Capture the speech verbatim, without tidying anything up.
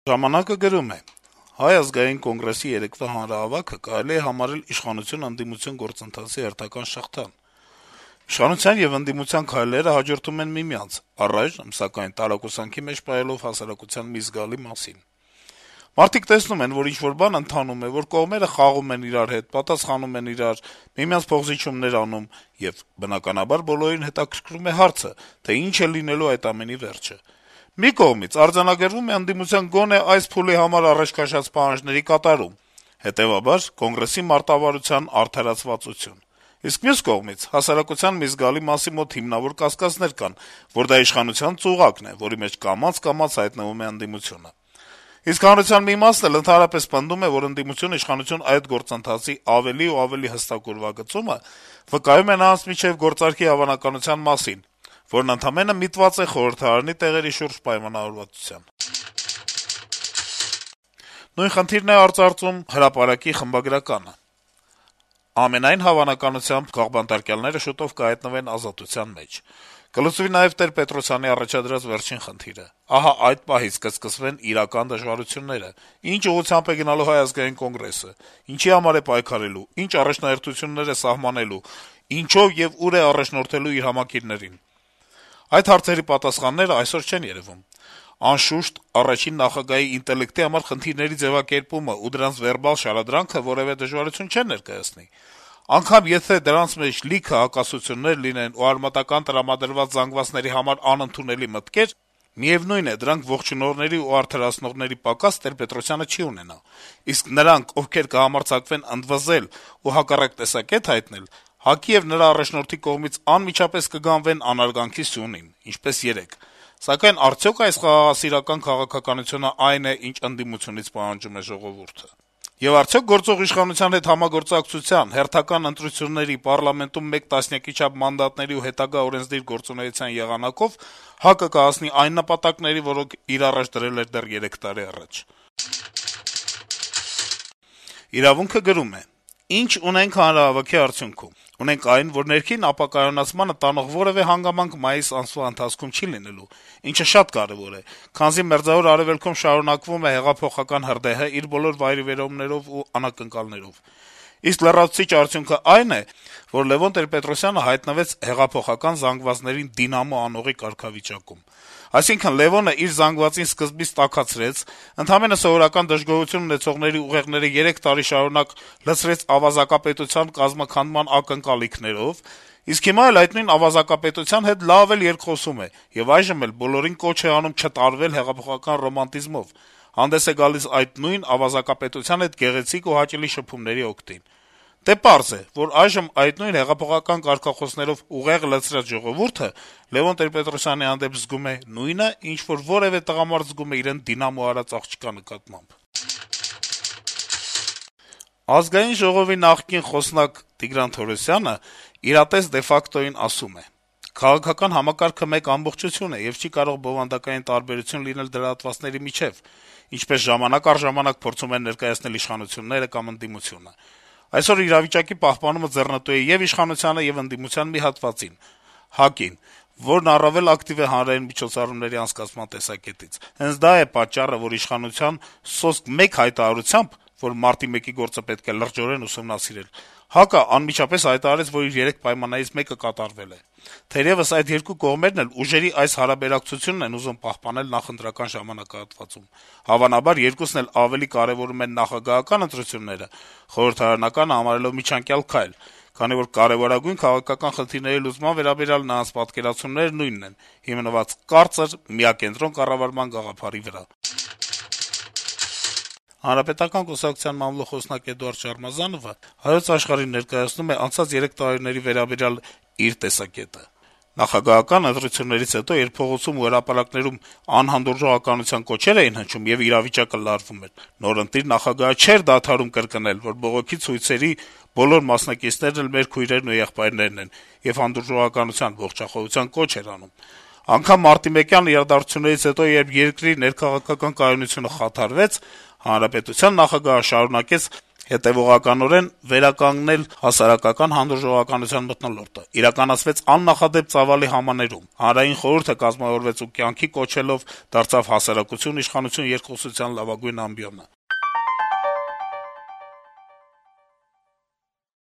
Ժամանակը գրում է. - Հայ ազգային կոնգրեսի երեկվա հանրահավաքը կարելի է համարել իշխանություն-ընդդիմություն գործընթացի հերթական շղթան: Իշխանության եւ ընդդիմության քայլերը հաջորդում են միմյանց, առայժմ, սակայն, տարակուսանքի մեջ պահելով հասարակության մի զգալի մասին: Մարդիկ տեսնում են, որ ինչ-որ բան ընթանում է, որ կողմերը խաղում են իրար հետ, պատասխանում են իրար, միմյանց փոխզիջումներ անում, եւ, բնականաբար, բոլորին հետաքրքրում է հարցը, թե ինչ է լինելու այդ ամենի վերջը: Մի կողմից արձանագրվում է ընդդիմության գոնե այս փուլի համար առաջ քաշած պահանջների կատարում, հետեւաբար, Կոնգրեսի մարտավարության արդարացվածություն: Իսկ մյուս կողմից, հասարակության մի զգալի մասի մոտ հիմնավոր կասկածներ կան, որ դա իշխանության ծուղակն է, որի մեջ կամաց-կամաց հայտնվում է ընդդիմությունը: Իսկ հանրության մի մասն էլ ընդհանրապես պնդում է, որ ընդդիմություն-իշխանություն այդ գործընթացի ավելի ու ավելի հստակ ուրվագծումը վկայում է նրանց միջեւ գործարքի հավանականության մասին, որն ընդամենը միտված է խորհրդարանի տեղերի շուրջ պայմանավորվածության: Նույն խնդիրն է արծարծում «Հրապարակ»-ի խմբագրականը. - «Ամենայն հավանականությամբ քաղբանտարկյալները շուտով կհայտնվեն ազատության մեջ: Կլուծվի նաեւ Տեր-Պետրոսյանի առաջադրած վերջին խնդիրը: Ահա այդ պահից կսկսվեն իրական դժվարությունները: Ինչ ուղղությամբ է գնալու Հայ ազգային կոնգրեսը, ինչի համար է պայքարելու, ինչ առաջնահերթություններ է սահմանելու, ինչով եւ ուր է առաջնորդելու իր համակիրներին: Այդ հարցերի պատասխանները այսօր չեն երեւում: Անշուշտ, առաջին նախագահի ինտելեկտի համար խնդիրների ձեւակերպումը ու դրանց վերբալ շարադրանքը որեւէ դժվարություն չեն ներկայացնի: Անգամ եթե դրանց մեջ լիքը հակասություններ լինեն ու արմատական տրամադրված զանգվածների համար անընդունելի մտքեր, միեւնույն է, դրանք ողջունողների ու արդարացնողների պակաս Տեր-Պետրոսյանը չի ունենա: Իսկ նրանք, ովքեր կհամարձակվեն ընդվզել ու հակառակ տեսակետ հայտնել, ՀԱԿ-ի եւ նրա առաջնորդի կողմից անմիջապես կգանվեն անարգանքի սյունին, ինչպես երեկ: Սակայն արդյո՞ք այս խաղաղասիրական քաղաքականությունն այն է, ինչ ընդդիմությունից պահանջում է ժողովուրդը: Եվ արդյո՞ք գործող իշխանության հետ համագործակցության, հերթական ընտրությունների, պառլամենտում մեկ տասնյակի չափ մանդատների ու հետագա օրենսդիր գործունեության եղանակով ՀԱԿ-ը կհասնի այն նպատակների, որոնք իր առաջ դրել էր դեռ երեք տարի առաջ»: «Իրավունք»-ը գրում է. - «Ինչ ունենք հանրահավաքի արդյունքում: Ունենք այն, որ ներքին ապակայունացմանը տանող որեւէ հանգամանք մայիս ամսվա ընթացքում չի լինելու, ինչը շատ կարեւոր է, քանզի Մերձավոր Արեւելքում շարունակվում է հեղափոխական հրդեհը իր բոլոր վայրիվերումներով ու անակնկալներով: Իսկ լրացուցիչ արդյունքն այն է, որ Լեւոն Տեր-Պետրոսյանը հայտնվեց հեղափոխական զանգվածներին դինամո անողի կարգավիճակում: Այսինքն` Լեւոնը իր զանգվածին սկզբից տաքացրեց, ընդամենը սովորական դժգոհություն ունեցողների ուղեղները երեք տարի շարունակ լցրեց ավազակապետության կազմաքանդման ակնկալիքներով, իսկ հիմա էլ այդ նույն ավազակապետության հետ լավ էլ երկխոսում է եւ այժմ էլ բոլորին կոչ է անում չտարվել հեղափոխական ռոմանտիզմով, հանդես է գալիս այդ նույն ավազակապետության հետ գեղեցիկ ու հաճելի շփումների օգտին: Դե պարզ է, որ այժմ այդ նույն հեղափոխական կարգախոսներով ուղեղ լցրած ժողովուրդը Լեւոն Տեր-Պետրոսյանի հանդեպ զգում է նույնը, ինչ որ որեւէ տղամարդ զգում է իրեն դինամո արած աղջկա նկատմամբ»: Ազգային ժողովի նախկին խոսնակ Տիգրան Թորոսյանը իրատես դե ֆակտոյին ասում է. - «Քաղաքական համակարգը մեկ ամբողջություն է եւ չի կարող բովանդակային տարբերություն լինել դրա հատվածների միջեւ, ինչպես ժամանակ առ ժամանակ փորձում են ներկայացնել իշխանությունները կամ ընդդիմությունը: Այսօր իրավիճակի պահպանումը ձեռնտու է ե'ւ իշխանությանը, ե'ւ ընդդիմության մի հատվածին` ՀԱԿ-ին, որն առավել ակտիվ է հանրային միջոցառումների անցկացման տեսակետից: Հենց դա է պատճառը, որ իշխանության սոսկ մեկ հայտարարությամբ, որ մարտի մեկի գործը պետք է լրջորեն ուսումնասիրել, ՀԱԿ-ը անմիջապես հայտարարեց, որ իր երեք պայմաններից մեկը կատարվել է: Թերեւս այդ երկու կողմերն էլ ուժերի այս հարաբերակցությունն են ուզում պահպանել նախընտրական ժամանակահատվածում: Հավանաբար երկուսն էլ ավելի կարեւորում են նախագահական ընտրությունները, խորհրդարանականը համարելով միջանկյալ քայլ, քանի որ կարեւորագույն քաղաքական խնդիրների լուծման վերաբերյալ նրանց պատկերացումները նույնն են` հիմնված կարծր, միակենտրոն կառավարման գաղափարի վրա»: Հանրապետական կուսակցության մամլո խոսնակ Էդուարդ Շարմազանովը «Հայոց Աշխարհ»-ին ներկայացնում է անցած երեք տարիների վերաբերյալ իր տեսակետը. - «Նախագահական ընտրություններից հետո, երբ փողոցում ու հրապարակներում անհանդուրժողականության կոչեր էին հնչում եւ իրավիճակը լարվում էր, նորընտիր նախագահը չէր դադարում կրկնել, որ բողոքի ցույցերի բոլոր մասնակիցներն էլ մեր քույրերն ու եղբայրներն են, եւ հանդուրժողականության, ողջախոհության կոչ էր անում: Անգամ մարտիմեկյան իրադարձություններից հետո, երբ երկրի ներքաղաքական կայունությունը խաթարվեց, հանրապետության նախագահը շարունակեց Հետեւողականորեն վերականգնել հասարակական հանդուրժողականության մթնոլորտը իրականացվեց աննախադեպ ծավալի համաներում: Հանրային խորհուրդը կազմավորվեց ու կյանքի կոչելով դարձավ հասարակություն-իշխանություն երկխոսության լավագույն ամբիոնը: